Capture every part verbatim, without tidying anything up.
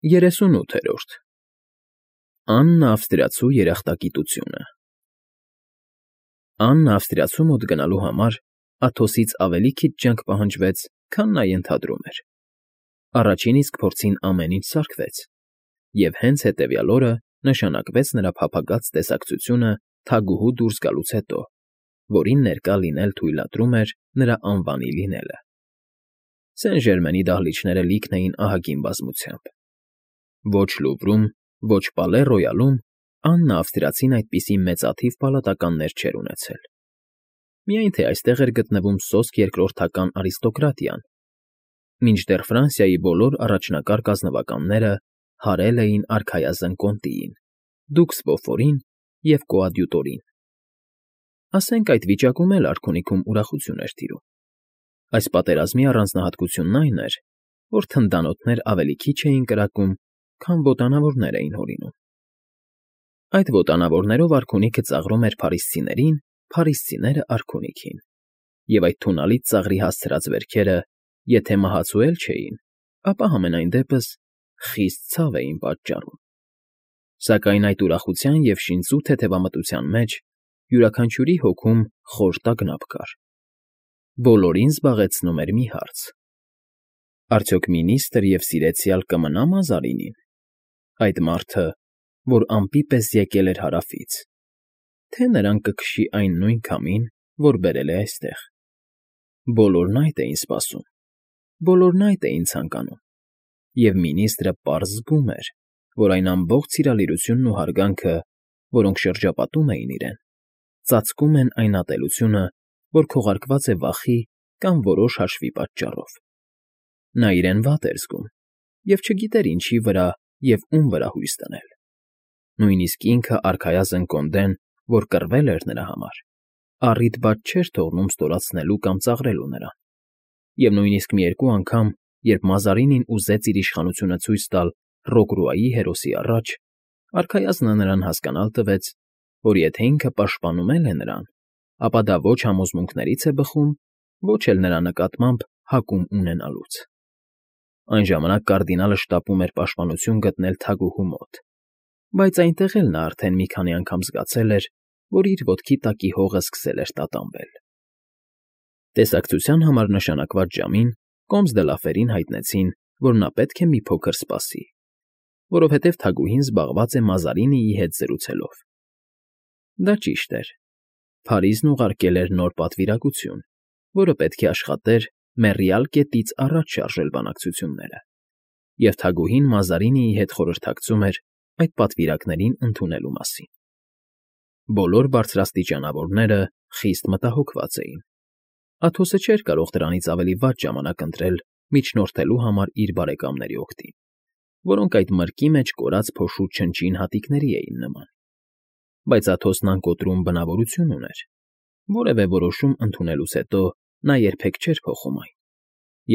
ԵՐԵՍՈՒՆՈՒԹԵՐՈՐԴ Աննա Ավստրիացու երախտագիտությունը Աննա Ավստրիացու մոտ գնալու համար Աթոսից ավելի քիչ ջանք պահանջվեց, քան նա ենթադրում էր. առաջին իսկ փորձին ամեն ինչ սարքվեց, և հենց հետևյալ օրը նշանակվեց նրա փափագած տեսակցությունը թագուհու դուրս գալուց հետո, որին ներկա լինել թույլատրում էր նրա անվանի լինելը։ Սեն֊Ժերմենի դահլիճները լիքն էին ահագին բազմությամբ. Ոչ Լուվրում, ոչ Պալե Ռոյալում Աննա Ավստրիացին այդպիսի մեծաթիվ պալատականներ չէր ունեցել։ Միայն թե այստեղ էր գտնվում սոսկ երկրորդական արիստոկրատիան, մինչդեռ Ֆրանսիայի բոլոր առաջնակարգ ազնվականները հարել էին արքայազն կոնտիին, դուքս Բոֆորին և կոադյուտորին։ Ասենք այդ վիճակում էլ արքունիքում ուրախություն էր տիրում։ Այս պատերազմի առանձնահատկությունն այն էր, որ թնդանոթներ ավելի քիչ էին կրակում, քան ոտանավորներ էին հորինում։ Այդ ոտանավորներով արքունիքը ծաղրում էր փարիսցիներին, փարիսցիները՝ արքունիքին, և այդ թունալից ծաղրի հասցրած վերքերը եթե մահացու էլ չէին, ապա համենայն դեպս խիստ ցավ էին պատճառում։ Սակայն այդ ուրախության և շինծու թեթևամտության մեջ յուրաքանչյուրի հոգում խոր տագնապ կար։ Բոլորին զբաղեցնում էր մի հարց. արդյոք մինիստր և սիրեցյալ կմնա՞ Մազարինին, այդ մարդը, որ ամպի պես եկել էր Հարավից, թե նրան կքշի այն նույն քամին, որ բերել է այստեղ։ Բոլորն այդ էին սպասում, բոլորն այդ էին ցանկանում, և մինիստրը պարզ զգում էր, որ այն ամբողջ սիրալիրությունն ու հարգանքը, որոնք շրջապատում էին իրեն, ծածկում են այն ատելությունը, որ քողարկված է վախի կամ որոշ հաշվի պատճառով։ Նա իրեն վատ էր զգում և չգիտեր ինչի վրա և ում վրա հույս դնել։ Նույնիսկ ինքը արքայազն կոնդեն, որ կռվել էր նրա համար, առիթ բաց չէր թողնում ստորացնելու կամ ծաղրելու նրան, և նույնիսկ մի երկու անգամ, երբ Մազարինին ուզեց իր իշխանությունը ցույց տալ Ռոգրուայի հերոսի առաջ, արքայազնը նրան հասկանալ տվեց, որ եթե ինքը պաշտպանում էլ է նրան, ապա դա ոչ համոզմունքներից է բխում, ոչ էլ նրա նկատմամբ հակում ունենալուց։ Այն ժամանակ կարդինալը շտապում էր պաշտպանություն գտնել թագուհու մոտ, բայց այնտեղ էլ նա արդեն մի քանի անգամ զգացել էր, որ իր ոտքի տակի հողը սկսել էր տատանվել։ Տեսակցության համար նշանակված ժամին Կոմս դը Լաֆերին հայտնեցին, որ նա պետք է մի փոքր սպասի, որովհետև թագուհին զբաղված է Մազարինիի հետ զրուցելով։ Դա ճիշտ էր. Փարիզն ուղարկել էր նոր պատվիրակություն, որը պետք է աշխատեր մեռյալ կետից առաջ շարժել բանակցությունները, և թագուհին Մազարինիի հետ խորհրդակցում էր այդ պատվիրակներին ընդունելու մասին։ Բոլոր բարձրաստիճանավորները խիստ մտահոգված էին։ Աթոսը չէր կարող դրանից ավելի վատ ժամանակ ընտրել միջնորդելու համար իր բարեկամների օգտին, որոնք այդ մրկի մեջ կորած փոշու չնչին հատիկների էին նման։ Բայց Աթոսն անկոտրում բնավորություն ուներ. որևէ որոշում ընդունելուց հետո նա երբեք չէր փոխում այն,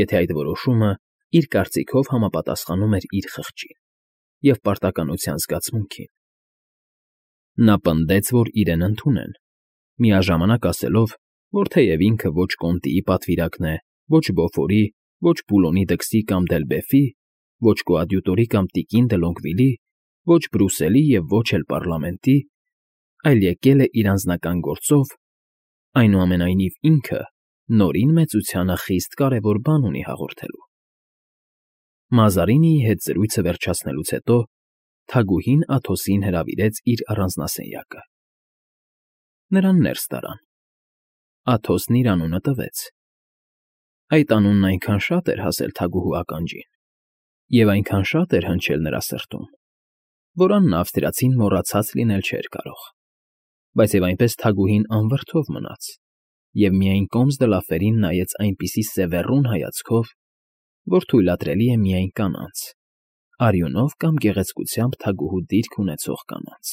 եթե այդ որոշումը իր կարծիքով համապատասխանում էր իր խղճին և պարտականության զգացմունքին։ Նա պնդեց, որ իրեն ընդունեն, միաժամանակ ասելով, որ թեև ինքը ոչ Կոնտիի պատվիրակն է, ոչ Բոֆորի, ոչ Բուլոնի դքսի կամ Դելբեֆի, ոչ կոադյուտորի կամ տիկին դը Լոնգվիլի, ոչ Բրուսելի և ոչ էլ պարլամենտի, այլ եկել է իր անձնական գործով, այնուամենայնիվ ինքը նորին մեծությանը խիստ կարևոր բան ունի հաղորդելու։ Մազարինիի հետ զրույցը վերջացնելուց հետո թագուհին Աթոսին հրավիրեց իր առանձնասենյակը։ Նրան ներս տարան։ Աթոսն իր անունը տվեց։ Այդ անունն այնքան շատ էր հասել թագուհու ականջին և այնքան շատ էր հնչել նրա սրտում, որ Աննա Ավստրիացին մոռացած լինել չէր կարող։ Բայց և այնպես թագուհին անվրդով մնաց և միայն Կոմս դը Լաֆերին նայեց այնպիսի սևեռուն հայացքով, որ թույլատրելի է միայն կանանց, արյունով կամ գեղեցկությամբ թագուհու դիրք ունեցող կանանց։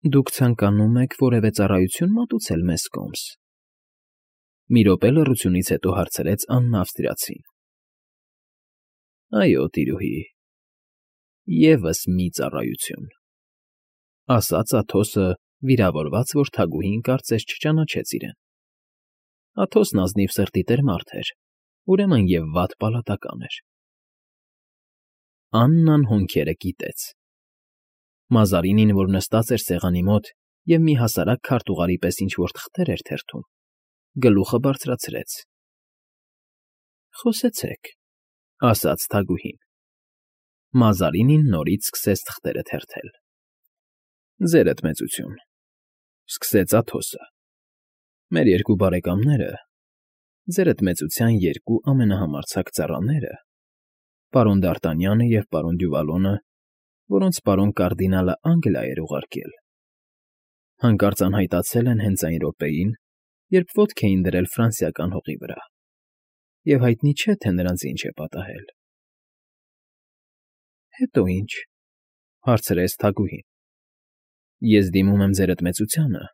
֊ Դուք ցանկանում եք որևէ ծառայություն մատուցել մեզ, Կոմս,֊ մի րոպե լռությունից հետո հարցրեց Աննա Ավստրիացին։ ֊ Այո, տիրուհի, ևս մի ծառայություն,֊ ասաց Աթոսը, վիրավորված, որ թագուհին կարծես չճանաչեց իրեն։ Աթոսն ազնիվ սրտի տեր մարդ էր, ուրեմն և վատ պալատական էր։ Աննան հոնքերը կիտեց։ Մազարինին, որ նստած էր սեղանի մոտ և մի հասարակ քարտուղարի պես ինչ֊որ թղթեր էր թերթում, գլուխը բարձրացրեց։ ֊ Խոսեցեք,֊ ասաց թագուհին։ Մազարինին նորից սկսեց թղթերը թերթել։ ֊ Ձերդ մեծություն,֊ սկսեց Աթոսը,֊ մեր երկու բարեկամները, ձերդ մեծության երկու ամենահամարձակ ծառաները, պարոն Դ'Արտանյանը և պարոն Դյուվալոնը, որոնց պարոն կարդինալը Անգլիա էր ուղարկել, հանկարծ անհայտացել են հենց այն րոպեին, երբ ոտք էին դրել ֆրանսիական հողի վրա, և հայտնի չէ, թե նրանց ինչ է պատահել։ ֊ Հետո ի՞նչ,֊ հարցրեց թագուհին։ ֊ Ես դիմում եմ ձերդ մեծությանը,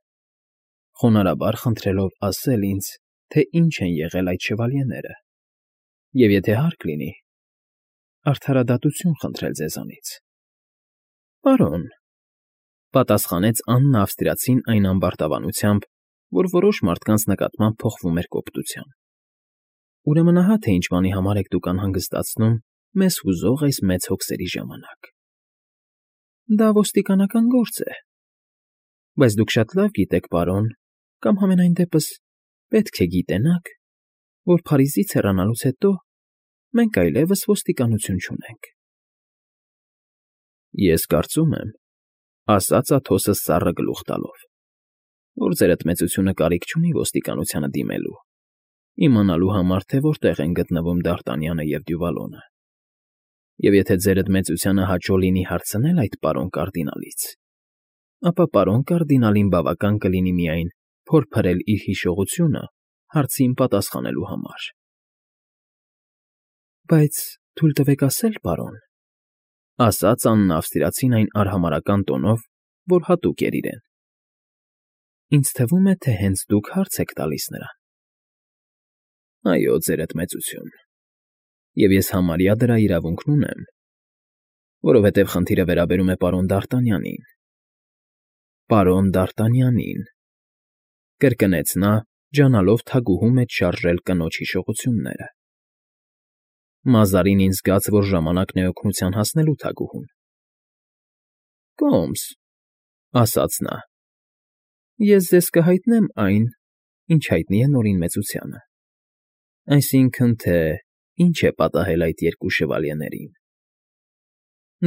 խոնարհաբար խնդրելով ասել ինձ, թե ինչ են եղել այդ շվալյեները, և եթե հարկ լինի, արդարադատություն խնդրել ձեզանից։ ֊ Պարոն,֊ պատասխանեց Աննա ավստրիացին այն ամբարտավանությամբ, որ որոշ մարդկանց նկատմամբ փոխվում էր կոպտության,֊ ուրեմն ահա թե ինչ բանի համար եք դուք անհանգստացնում մեզ հուզող այս մեծ հոգսերի ժամանակ. դա ոստիկանական գործ է, բայց դուք շատ լավ գիտեք, պարոն, կամ համենայն դեպս պետք է գիտենաք, որ Փարիզից հեռանալուց հետո մենք այլևս ոստիկանություն չունենք։ ֊ Ես կարծում եմ,֊ ասաց Աթոսը սառը գլուխ տալով,֊ որ ձերդ մեծությունը կարիք չունի ոստիկանությանը դիմելու, իմանալու համար, թե որտեղ են գտնվում Դ'Արտանյանը և Դյուվալոնը, և եթե ձերդ մեծությանը հաճո լինի հարցնել այդ պարոն կարդինալից, ապա պարոն կարդինալին բավական կլինի միայն փորփրել իր հիշողությունը հարցին պատասխանելու համար։ ֊ Բայց թույլ տվեք ասել, պարոն,֊ ասաց Աննա ավստրիացին այն արհամարհական տոնով, որ հատուկ էր իրեն,֊ ինձ թվում է, թե հենց դուք հարց եք տալիս նրան։ ֊ Այո, ձերդ մեծություն, և ես համարյա դրա իրավունքն ունեմ, որովհետև խնդիրը վերաբերում է պարոն Դ'Արտանյանին։ ֊ Պարոն Դ'Արտանյանին,֊ կրկնեց նա, ջանալով թագուհու մեջ շարժել կնոջ հիշողությունները։ Մազարինին զգաց, որ ժամանակն է օգնության հասնելու թագուհուն։ ֊ Կոմս,֊ ասաց նա,֊ ես ձեզ կհայտնեմ այն, ինչ հայտնի է Նորին մեծությանը, այսինքն՝ թե ինչ է պատահել այդ երկու շվալյեներին.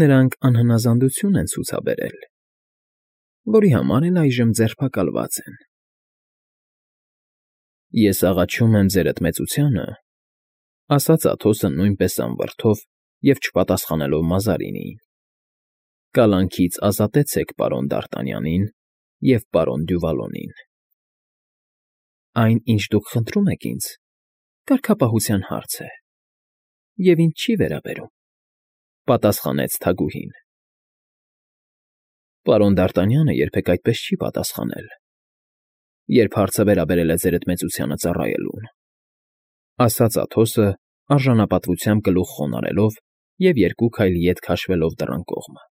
նրանք անհնազանդություն են ցուցաբերել, որի համար էլ այժմ ձերբակալված են։ ֊ Ես աղաչում եմ ձերդ մեծությանը,֊ ասաց Աթոսը նույնպես անվրդով և չպատասխանելով Մազարինիին,֊ կալանքից ազատեցեք պարոն Դ'Արտանյանին և պարոն Դյուվալոնին։ ֊ Այն, ինչ դուք խնդրում եք ինձ, կարգապահության հարց է և ինձ չի վերաբերում,֊ պատասխանեց թագուհին։ ֊ Պարոն Դ'Արտանյանը երբեք այդպես չի պատասխանել, երբ հարցը վերաբերել է ձերդ մեծությանը ծառայելուն,֊ ասաց Աթոսը, արժանապատվությամբ գլուխ խոնարհելով և երկու քայլ ետ քաշվելով դռան կողմը։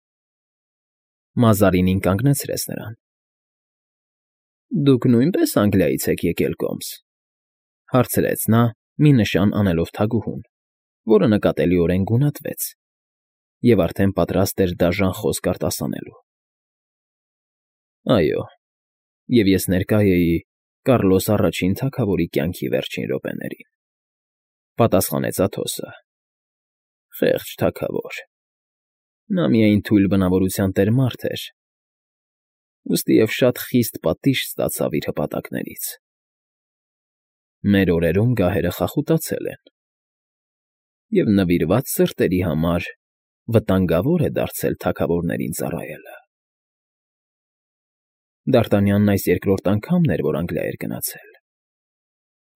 Մազարինին կանգնեցրեց նրան։ ֊ Դուք նույնպե՞ս Անգլիայից եք եկել, Կոմս,֊ հարցրեց նա, մի նշան անելով թագուհուն, որը նկատելիորեն գունատվեց և արդեն պատրաստ էր դաժան խոսք արտասանելու։ ֊ Այո, և ես ներկա էի Կառլոս Առաջին թագավորի կյանքի վերջին րոպեներին,֊ պատասխանեց Աթոսը։ ֊ Խեղճ թագավոր… Նա միայն թույլ բնավորության տեր մարդ էր, ուստիև շատ խիստ պատիժ ստացավ իր հպատակներից։ Մեր օրերում գահերը խախուտացել են, և նվիրված սրտերի համար վտանգավոր է դարձել թագավորներին ծառայելը։ Դ'Արտանյանն այս երկրորդ անգամն էր, որ Անգլիա էր գնացել.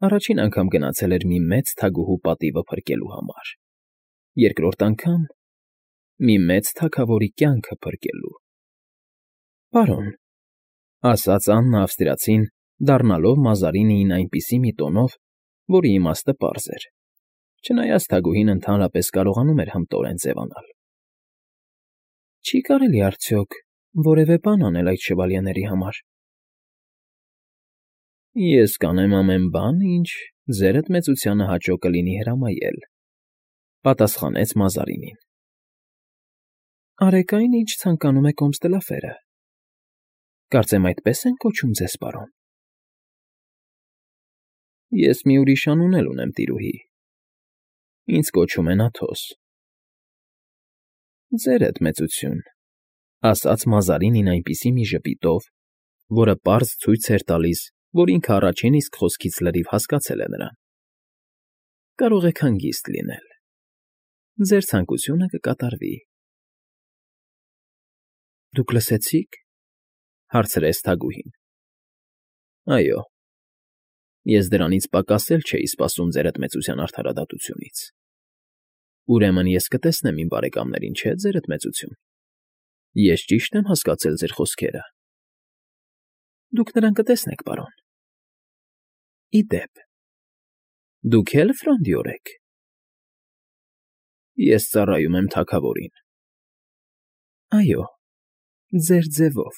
առաջին անգամ գնացել էր մի մեծ թագուհու պատիվը փրկելու համար, երկրորդ անգամ՝ մի մեծ թագավորի կյանքը փրկելու։ ֊ Պարոն,֊ ասաց Աննա ավստրիացին, դառնալով Մազարինիին այնպիսի մի տոնով, որի իմաստը պարզ էր, չնայած թագուհին ընդհանրապես կարողանում էր հմտորեն ձևանալ,֊ Չի՞ կարելի արդյոք որևէ բան անել այդ շվալյեների համար։ ֊ Ես կանեմ ամեն բան, ինչ ձերդ մեծությանը հաճո կլինի հրամայել,֊ պատասխանեց Մազարինին։ Արեք այն, ինչ ցանկանում է Կոմստելաֆերը։ Կարծեմ այդպես են կոչում ձեզ, պարոն։ Ես մի ուրիշ անուն էլ ունեմ, տիրուհի։ Ինձ կոչում են Աթոս։ Ձերդ մեծություն, ասաց Մազարինին այնպիսի մի ժպիտով, որը պարզ ցույց էր տալիս, որ ինքը առաջին իսկ խոսքից լրիվ հասկացել է նրան։ Կարող եք հանգիստ լինել։ Ձեր ցանկությունը կկատարվի։ Դուք լսեցի՞ք, հարցրեց Թագուհին։ Այո, ես դրանից պակաս էլ չէի սպասում ձերդ մեծության արդարադատությունից։ Ուրեմն ես կտեսնեմ իմ բարեկամներին, չէ՞, ձերդ մեծություն։ Ես ճիշտ եմ հասկացել ձեր խոսքերը։ Դուք նրան կտեսնեք, պարոն։ Ի դեպ, դուք էլ Ֆրոնդիոր եք։ Ես ծառայում եմ թագավորին։ Այո, ձեր ձևով։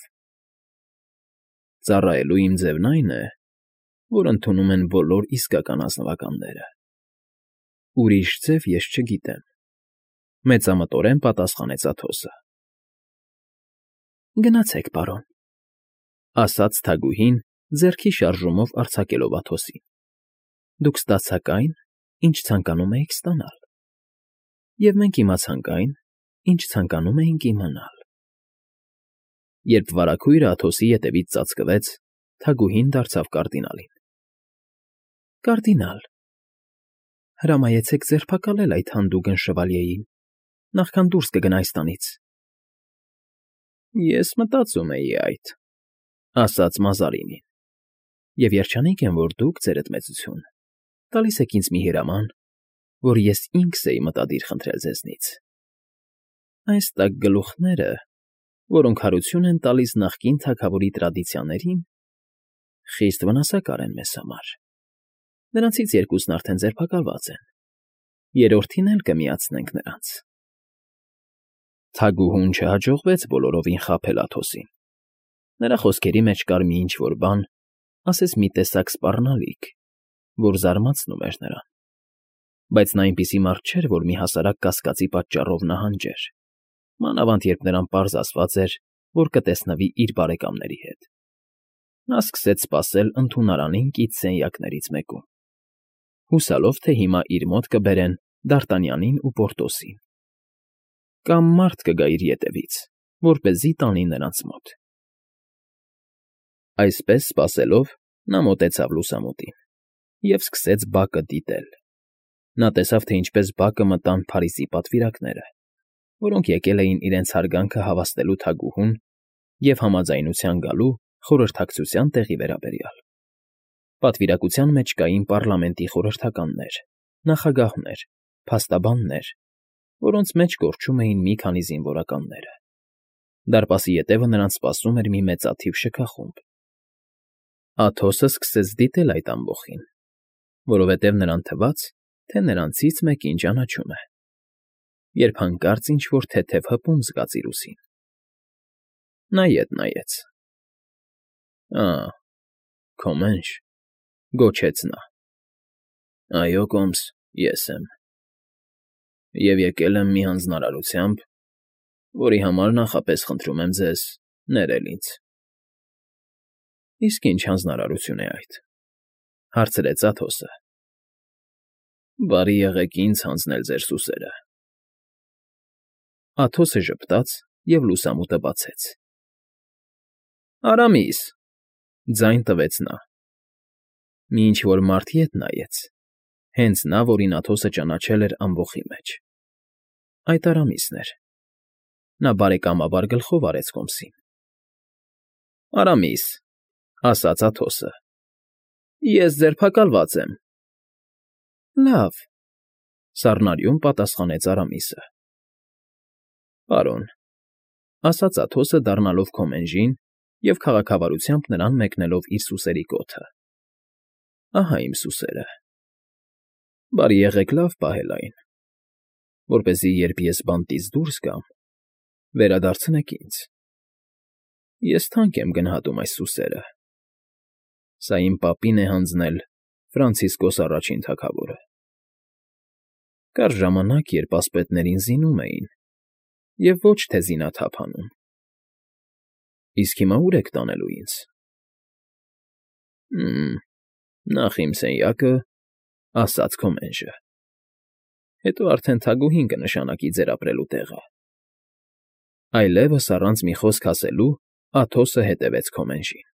Ծառայելու իմ ձևն այն է, որ ընդունում են բոլոր իսկական ազնվականները։ Ուրիշ ձև ես չգիտեմ, մեծամտորեն պատասխանեց Աթոսը։ Գնացեք, պարոն, ասաց Թագուհին, ձեռքի շարժումով արձակելով Աթոսին։ Դուք ստացաք այն, ինչ ցանկանում էիք ստանալ։ Եվ մենք իմացանք այն, ինչ ցանկանում էինք իմանալ։ Երբ վարագույրը Աթոսի ետևից ծածկվեց, Թագուհին դարձավ կարդինալին։ Կարդինալ, հրամայեցեք ձերբակալել այդ հանդուգն շվալյեին, նախքան դուրս կգնա այստանից։ Ես մտածում էի այդ, ասաց Մազարինին, և երջանիկ եմ, որ դուք, ձերդ մեծություն, տալիս եք ինձ մի հրաման, որ ես ինքս էի մտադիր խնդրել ձեզնից։ Այս տաք գլուխները, որոնք հարություն են տալիս նախկին թագավորի տրադիցիաներին, խիստ վնասակար են մեզ համար։ Նրանցից երկուսն արդեն ձերբակալված են, երրորդին էլ կմիացնենք նրանց։ Թագուհուն չհաջողվեց բոլորովին խաբել Աթոսին։ Նրա խոսքերի մեջ կար մի ինչ֊որ բան, ասես մի տեսակ սպառնալիք, որ զարմացնում էր նրան։ Բայց նա այնպիսի մարդ չէր, որ մի հասարակ կասկածի պատճառով նահանջեր, մանավանդ երբ նրան պարզ ասված էր, որ կտեսնվի իր բարեկամների հետ։ Նա սկսեց սպասել ընդունարանին կից սենյակներից մեկում, հուսալով, թե հիմա իր մոտ կբերեն Դարտանյանին ու Պորտոսին։ Կամ մարդ կգա իր ետևից, որպեսզի տանի նրանց մոտ։ Այսպես սպասելով, նա մոտեցավ լուսամուտին և սկսեց բակը դիտել։ Նա տեսավ, թե ինչպես բակը մտան Փարիզի պատվիրակները, որոնք եկել էին իրենց հարգանքը հավաստելու Թագուհուն և համաձայնության գալու խորհրդակցության տեղի վերաբերյալ։ Պատվիրակության մեջ կային պառլամենտի խորհրդականներ, նախագահներ, փաստաբաններ, որոնց մեջ կորչում էին մի քանի զինվորականները։ Դարպասի ետևը նրանց սպասում էր մի մեծաթիվ շքախումբ։ Աթոսը սկսեց դիտել այդ ամբոխին, որովհետև նրան թվաց, թե նրանցից մեկին ճանաչում է, երբ հանկարծ ինչ֊որ թեթև հպում զգաց իր ուսին։ Նա ետ նայեց։ Ա, Քոմենջ, գոչեց նա։ Այո, Կոմս, ես եմ։ Եվ եկել եմ մի հանձնարարությամբ, որի համար նախապես խնդրում եմ ձեզ ներել ինձ։ Իսկ ինչ հանձնարարություն է այդ, հարցրեց Աթոսը։ Բարի եղեք ինձ հանձնել ձեր սուսերը։ Աթոսը ժպտաց և լուսամուտը բացեց։ Արամիս, ձայն տվեց նա։ Մի ինչ֊որ մարդ ետ նայեց, հենց նա, որին Աթոսը ճանաչել էր ամբոխի մեջ։ Այդ Արամիսն էր։ Նա բարեկամաբար գլխով արեց Կոմսին։ Արամիս, ասաց Աթոսը, ես ձերբակալված եմ։ Լավ, սառնարյուն պատասխանեց Արամիսը։ Պարոն, ասաց Աթոսը դառնալով Քոմենժին և քաղաքավարությամբ նրան մեկնելով իր սուսերի կոթը։ Ահա իմ սուսերը։ Բարի եղեք լավ պահել այն, որպեսզի երբ ես բանտից դուրս գամ, վերադարձնեք ինձ։ Ես թանկ եմ գնահատում այս սուսերը։ Սա իմ պապին է հանձնել Ֆրանցիսկոս առաջին թագավորը։ Կար ժամանակ, երբ ասպետներին զինում էին, Եվ ոչ թե զինաթափանում։ Իսկ հիմա ո՞ւր եք տանելու ինձ։ Հը՛մմ, նախ իմ սենյակը, ասաց քո մենժը, հետո արդեն թագուհին կնշանակի ձեր ապրելու տեղը… Այլևս առանց մի խոսք ասելու Աթոսը հետևեց քո մենժին։